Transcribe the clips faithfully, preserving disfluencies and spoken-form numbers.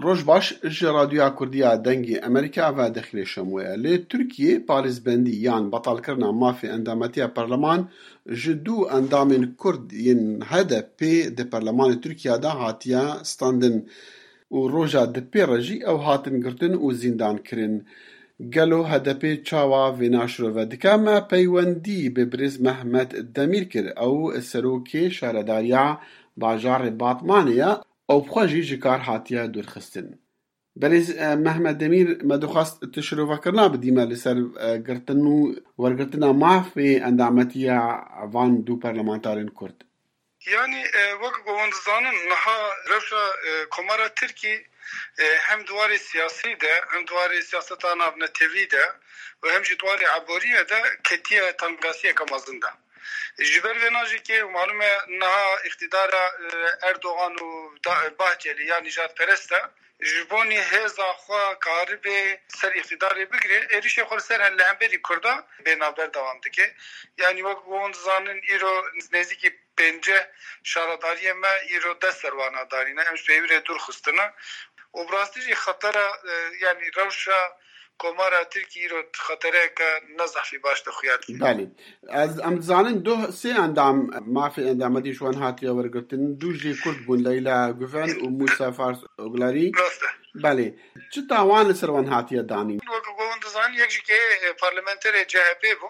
Roj baş, ji Radyoya Kurdiya Dengê Amerîka ve Dexilê Şemoye. Li Tirkiyê parêzbendî yan betalkirina mafê endametiya parleman ji du endamên Kurd yên H D P di parlemanê Tirkiya de hatiye standin û roja di pê re jî ew hatin girtin û zîndan kirin. Gelo H D P çawa vêna şirove dike? Me peywendî bi birêz Mehmet Demîr kir. Ew serokê şaredariya bajarê Batmanê ye. Ew bi xwe jî ji kar hatiye dûrxistin. Belê, e, Mehmet Demîr, me dixwest tu şirovekirina bidî me li ser, e, girtin û wergirtina mafê endametiya van du parlamentarên Kurd. Yanî, e, wek ku hûn dizanin, niha rewşa, e, Komara Tirkî, e, hem di warê siyasî de, hem di warê siyaseta navnetewî de û hem jî di warê eboriyê de ketiye tengasiyeke mezin de. Ji ber vê najî ke malûm e niha îqtîdara, e, Erdogan û da-, Bahçelî ya nîjadperest e, ji bonî hêza xwe karibe ser îqtîdarê bigire, êrişê xwe li ser li hemberî Kurda bê navber dewam dike. Yanî wek hûn dizanin îro nêzîkî pêncî şaredariyê me îro dest ser wana danîne. Em ji peyvîrê dûr xistine. Û bi rastî jî xetera, e, yanî rewşa Komara Tirkî îro xetereyeke ne zehfî baş de xuya dike. Belê. Ez, em dizanin du sê endam mafê endametî ji wan hatiye wergirtin. Du jî Kurd bûn, Leyla Guven û Mûsa Fars Oglarî. Rast e. Belê. Çi tawan li ser wan hatiye danîn? Wek ku hûn dizanin, yek jî ke, e, parlamenterê C H P bû.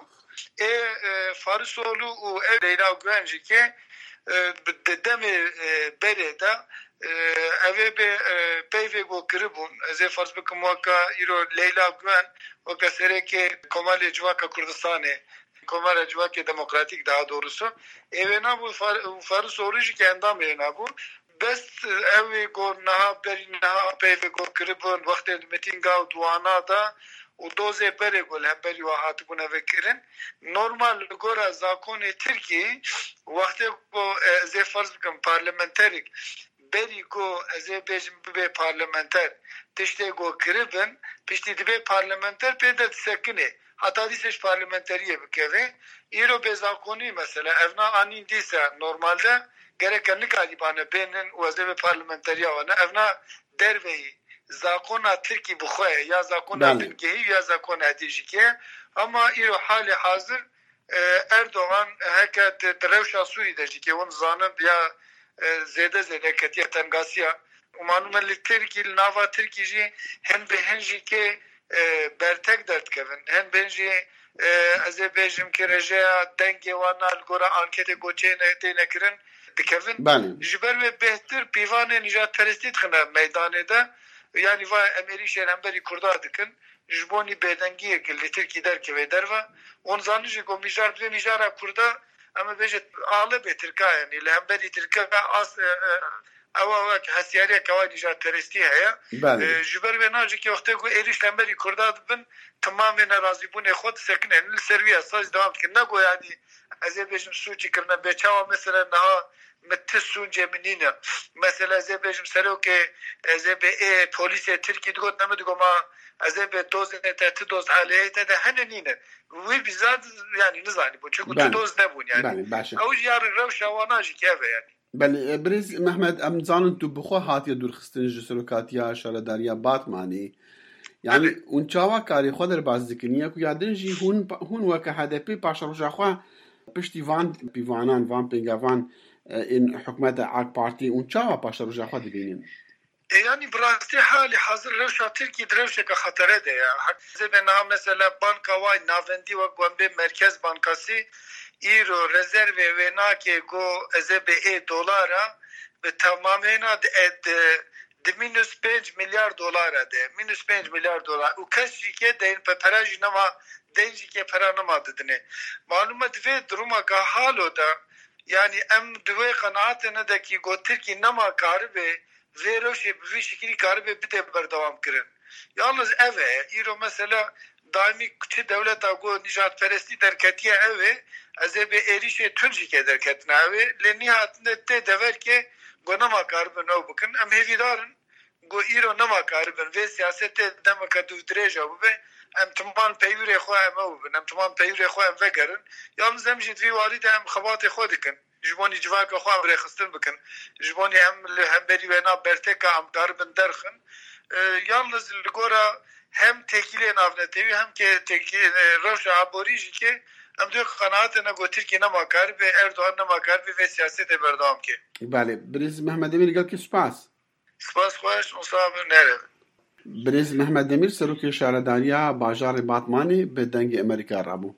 Ê, e, Farisoglu û ev Leyla Guven jî ke, e, bi, di demê, e, berê de, e, ev ê bê, e, peyvê ku kiribûn. Ez ê ferz bikim weke îro Leyla Guven weke serokê Komelê Civaka Kurdistanê, Komara Civakê Demokratîk daha doğrusu. Ê wê nabû Far-, Farisoglu jî ke endamê wê nabû. Bes ew ê ku niha berî niha peyvê ku kiribûn, wextê di mitînga û di wana de û dozê berê ku li hemberî wan hatibûne vekirin. Normal li gora zakonê Tirkî, wextê ku, e, ez ê ferz bikim parlamenterik, berî ku ez ê bêjim bibe parlamenter, tiştê ku kiribin, piştî dibe parlamenter pê de disekine. Heta dîsa ji parlamenteriyê bikeve. Îro bêzakonî mesela, evna anîn dîsa normalde gereke nikarîbane bênin û ez ê vê parlamenteriya wane. Evna derveyî zakona Tirkî bi xwe ye, ya zakona Belê. bingehî ya zakona hetê jî ke. Ama îro halê hazir, e, Erdogan heke di, di rewşa Sûrî de jî ke hûn zanin ya, e, zêde zêde ketiye tengasiya. Û malûm e li Tirkî, li nava Tirkî jî hin bi hin jî ke, e, bertek derdikevin. Hin bi hin jî, e, ez ê bêjim ke rêjeya dengê wan na li gora anketê ku çêne, têne kirin dikevin. Belê. Ji ber wê bêhtir pîvanê nîjadperestî dixine meydanê de. Yanî va em êrîşên hemberî Kurda dikin. Ji bo nî bêdengiyek li Tirkî derkeve derve. Hûn zanin jî ku mijar divê mijara Kurda, em ê bêje alibê Tirka, yanî li hemberî Tirka as, e, e, ewa wek hestiyariyeke wa nîjadperestî heye. Belê. E, ji ber wê nacikê wextê ku êrîş li hemberî Kurda dibin, timamê nerazîbûnê xwe disekine. Li ser wî esas devam dikin. Ne ku yanî ez ê bêjim sûcî kirine bê çawa mesela niha min ti sûcê min nîne. Mesela ez ê bêjim serokê, ez ê bê ê polîsê Tirkî digot, ne min digot ma ez ê bê dozê te, ti doz aleyhê te de hene nîne. Wî bizat yanî nizanî bûn. Çunku tu Belê. doz nebûn yanî. Belê, baş e. Ew jî ya rewşa wana jî keve yanî. Belê, e, birêz Mehmet, em zanin tu bi xwe hatiye dûrxistin ji serokatiya şaredariya Batmanê. Yanî, Belê. hûn çawa karê xwe derbas dikin? Ya ku ya din jî hûn, hûn weke H D P paşeroja xwe piştî van pîvanan, van pêngevan, e, ên hikûmeta AK Partî, hûn çawa paşeroja xwe dibînin? E, yanî bi rastî halî hazir rewşa Tirkî di rewşeke xetere de ye. Her zêbê niha mesela banka wayî navendî wek ku em bê Merkez Bankasî îro rezervê wê nake ku ez ê bê ê dolara bi temamêna di, e, di, di mînus pênc milyar dolara de. Mînus pênc milyar dolar. Û kes jî ke deyn pe pera jî nema, deyn jî ke pera nema didinê. Malûm e di vê durumeke halo de, yanî em di wê qenaatê ne de kî ku Tirkî nema karibe vê rewşê bi vî şikilî karibe bide berdewam kirin. Yalnız ev e, îro mesela daîmî çi dewleta ku nîjadperestî derketiye ew ê, ez ê bê êrîşê tund jî ke derketina ew ê, lê nîhatinde tê dever ke ku nema karibin ew bikin. Em hêvîdar in ku îro nema karibin vê siyasetê demeke dûvdirêja bibe, em timan peywirê xwe em ew bibin, em timan peywirê xwe em vegerin. Yalnız em jî di vî warî de em xebatê xwe dikin. Ji bonî civaka xwe em rêxistin bikin. Ji bonî em li hemberî wêna berteka em karibin derxin. E, yalniz li gora hem têkiliyê navnetewî hem ke têkiliyê, e, rewşa aborî jî ke em dê qenaatê ne ku Tirkiye nema karibe, Erdogan nema karibe vê siyasetê berdewam ke. Belê, Birêz Mehmet Demîr, gelkî spas. Spas xweş, û sax bin, nere. Birêz Mehmet Demîr, serokê şaredariya bajarê Batmanê, bi Dengê Amerîka re bû.